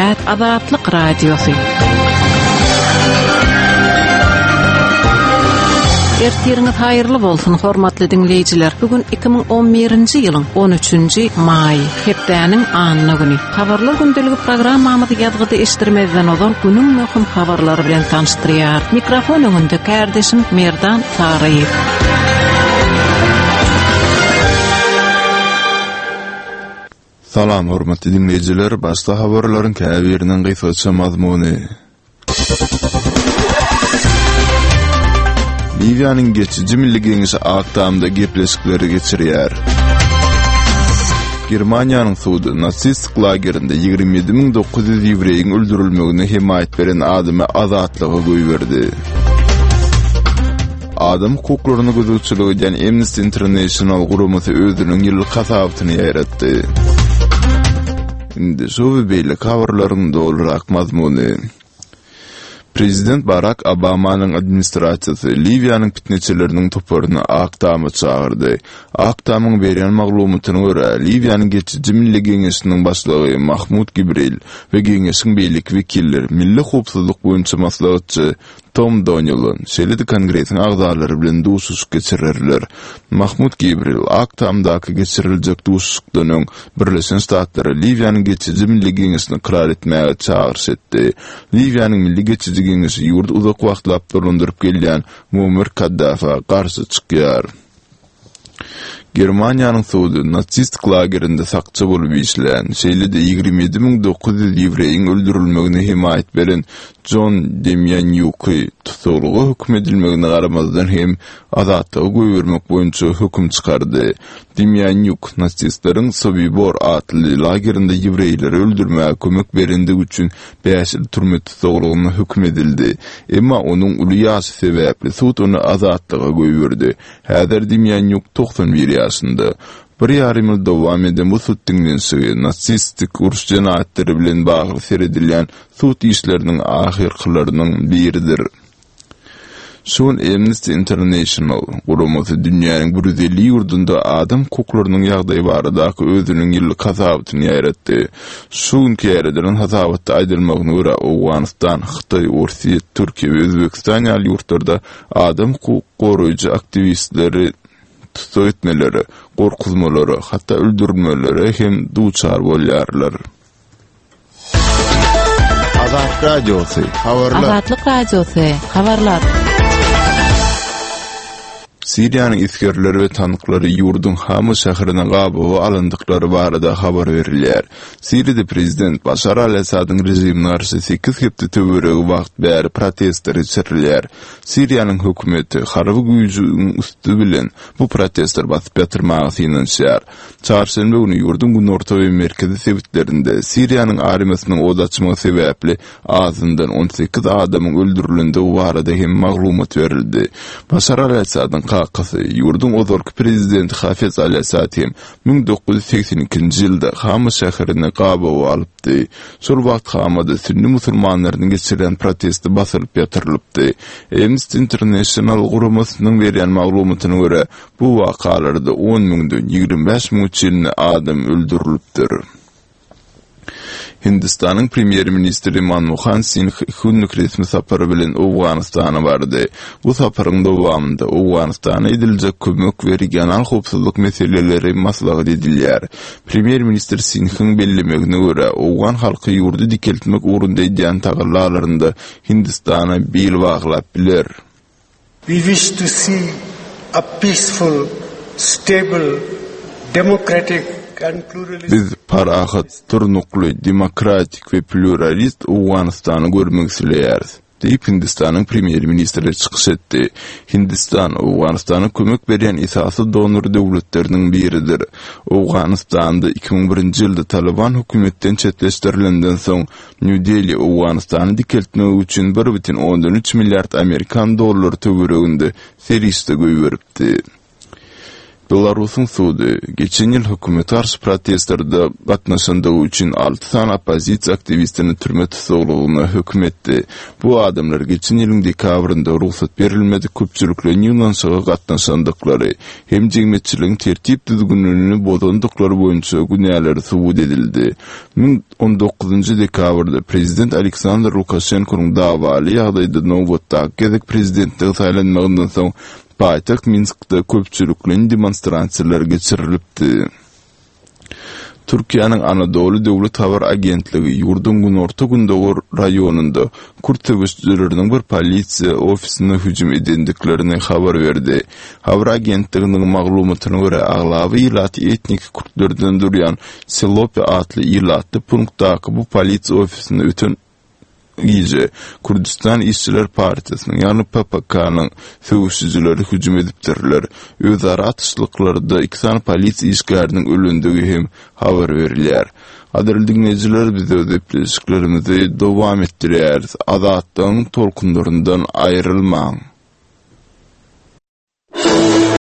At Azatlyk Radiosy. Ertiriňiz haýyrly bolsun, hormatly diňleýjiler. Bu gün 2011-nji ýylyň 13-nji maýy, hepdäniň anna güni. Habarlar gündeligi programmamyzy ýazgyda eşitdirmezden ozal günüň möhüm habarlary bilen tanyşdyrýar. Mikrofon öňünde kärdeşim Merdan Saryýew. Salam hormatly diňleýjiler, başda habarlaryň käbiriniň gysgaça mazmuny. Liwiýanyň geçiji milli geňeşi Ak Tamda gepleşikleri geçirýär. Germaniýanyň sudy nasistik lagerinde 27900 ýewreýiň öldürilmegine hemaýat beren adamy azatlyga goýberdi. Adam hukuklaryna gözegçilik edýän Amnesty International guramasy özüniň ýyllyk hasabatyny ýaýratdy. Indi şu we beýleki habarlaryň dolurak mazmuny. Prezident Barak Obamanyň administrasiýasy Liwiýanyň pitneçileriniň toparyny Ak Tama çagyrdy. Ak Tamyň berýän maglumatyna görä, Liwiýanyň Geçiji Milli Geňeşiniň başlygy Mahmud Gibril we geňeşiň beýleki wekilleri milli howpsuzlyk boýunça maslahatçy Tom Donilon, şeýle-de Kongresiň agzalary bilen duşuşyk geçirerler. Mahmud Gibril Ak Tamdaky geçiriljek duşuşykdan öň Birleşen Ştatlara Liwiýanyň Geçiji Milli Geňeşini ykrar etmäge çagyryş etdi. Liwiýanyň Milli Geçiji Geňeşi ýurdy uzak wagtlap dolandyryp gelýän Muammar Kaddafä garşy çykýar. Germaniýanyň sudy nasistik lagerinde sakçy bolup işlän, şeýle-de 27900 ýewreýiň öldürilmegine hemaýat beren Jon Demýanýuky tussaglyga höküm edilmegine garamazdan hem azatlyga goýbermek boýunça höküm çykardy. Demýanýuk nasistleriň Sobibor atly lagerinde ýewreýleri öldürmäge kömek berendigi üçin bäş ýyl türme tussaglygyna höküm edildi. Emma onuň uly ýaşy sebäpli sud ony azatlyga goýberdi. Häzir Demýanýuk 91 ýaşynda. Bir ýarym ýyl dowam eden bu sud diňlenişigi nasistik uruş jenaýatlary bilen bagly seredilýän sud işleriniň ahyrkylarynyň biridir. Şu gün Amnesty International guramasy dünýäniň 150 ýurdunda adam hukuklarynyň ýagdaýy baradaky özüniň ýyllyk hasabatyny ýaýratdy. Şu günki ýaýradylan hasabatda aýdylmagyna görä, Owganystan, Hytaý, Orsýet, Türkiýe we Özbegistan ýaly ýurtlarda adam hukuk goraýjy aktiwistleri tussag etmelere, gorkuzmalara, hatda öldürilmelere hem duçar bolýarlar. Azatlyk Radiosy, habarlar. Azatlyk Radiosy, habarlar. Siriýanyň esgerleri we tanklary ýurduň Hama şäherine gabawa alyndyklary barada habar berilýär. Siriýada prezident Başar al-Assadyň režimine garşy sekiz hepde töweregi wagt bäri protestler geçirilýär. Siriýanyň hökümeti harby güýjüň üsti bilen bu protestleri basyp ýatyrmaga synanyşýar. Çarşenbe güni ýurduň günorta we merkezi sebitlerinde Siriýanyň armiýasynyň od açmagy sebäpli azyndan 18 adamyň öldürilendigi barada hem maglumat berildi. Başar al-Assadyň kakasy, ýurduň ozalky prezidenti Hafez al-Assad hem 1982-nji ýylda Hama şäherini gabawa alypdy. Şol wagt Hamada sünni musulmanlarynyň geçirýän protesti basylyp ýatyrylypdy. Amnesty International guramasynyň berýän maglumatyna görä, Bu wakalarda on müňden 25 müňe çenli adam öldürilipdir. Hindistanyň premýer-ministri Manmohan Singh iki günlük resmi sapary bilen Owganystana bardy. Bu saparyň dowamynda Owganystana ediljek kömek we regional howpsuzlyk meseleleri maslahat edilýär. Premýer-ministr Singhiň bellemegine görä, owgan halky ýurdy dikeltmek ugrunda edýän tagallalarynda Hindistana bil baglap biler. We wish to see a peaceful, stable, democratic and pluralistic. Biz parahat, durnukly, demokratik we plýuralist Owganystany görmek isleýäris, diýip, Hindistanyň premýer-ministri çykyş etdi. Hindistan Owganystana kömek berýän esasy donor döwletleriniň biridir. Owganystanda 2001-nji ýylda Talyban hökümetden çetleşdirilenden soň, Nýu-Deli Owganystany dikeltmek üçin 1,3 milliard amerikan dollary töwereginde serişde goýberipdi. Belarusyň sudy, geçen ýyl hökümete garşy protestlerde gatnaşandygy üçin alty sany oppozisiýa aktiwistini türme tussaglygyna höküm etdi. Bu adamlar geçen ýylyň dekabrynda rugsat berilmedik köpçülikleýin ýygnanyşyga gatnaşandyklary hem jemgyýetçiligiň tertip-düzgünini bozandyklary boýunça günäleri subut edildi. 19 dekabrda prezident Aleksandr Lukaşenkonyň dawaly ýagdaýda nobatdaky gezek prezidentlige saýlanmagyndan soň paýtagt Minskde köpçülikleýin demonstrasiýalar geçirilipdi. Türkiýäniň Anadoly döwlet habar agentligi ýurduň günorta-gündogar raýonynda kürt söweşijileriniň bir polisiýa ofisine hüjüm edendiklerini habar berdi. Habar agentliginiň maglumatyna görä, aglaba ilaty etniki kürtlerden durýan Silopi atly ilatly punktdaky bu polisiýa ofisine öten gije Kürdüstan işçiler partiýasynyň, ýagny PPK-nyň söweşijileri hüjüm edipdirler. Özara atyşlyklarda iki sany polisiýa işgäriniň ölendigi hem habar berilýär. Gadyrly diňleýjiler, biz öz gepleşiklerimizi dowam etdirýäris. Azatlygyň tolkunlaryndan aýrylmaň!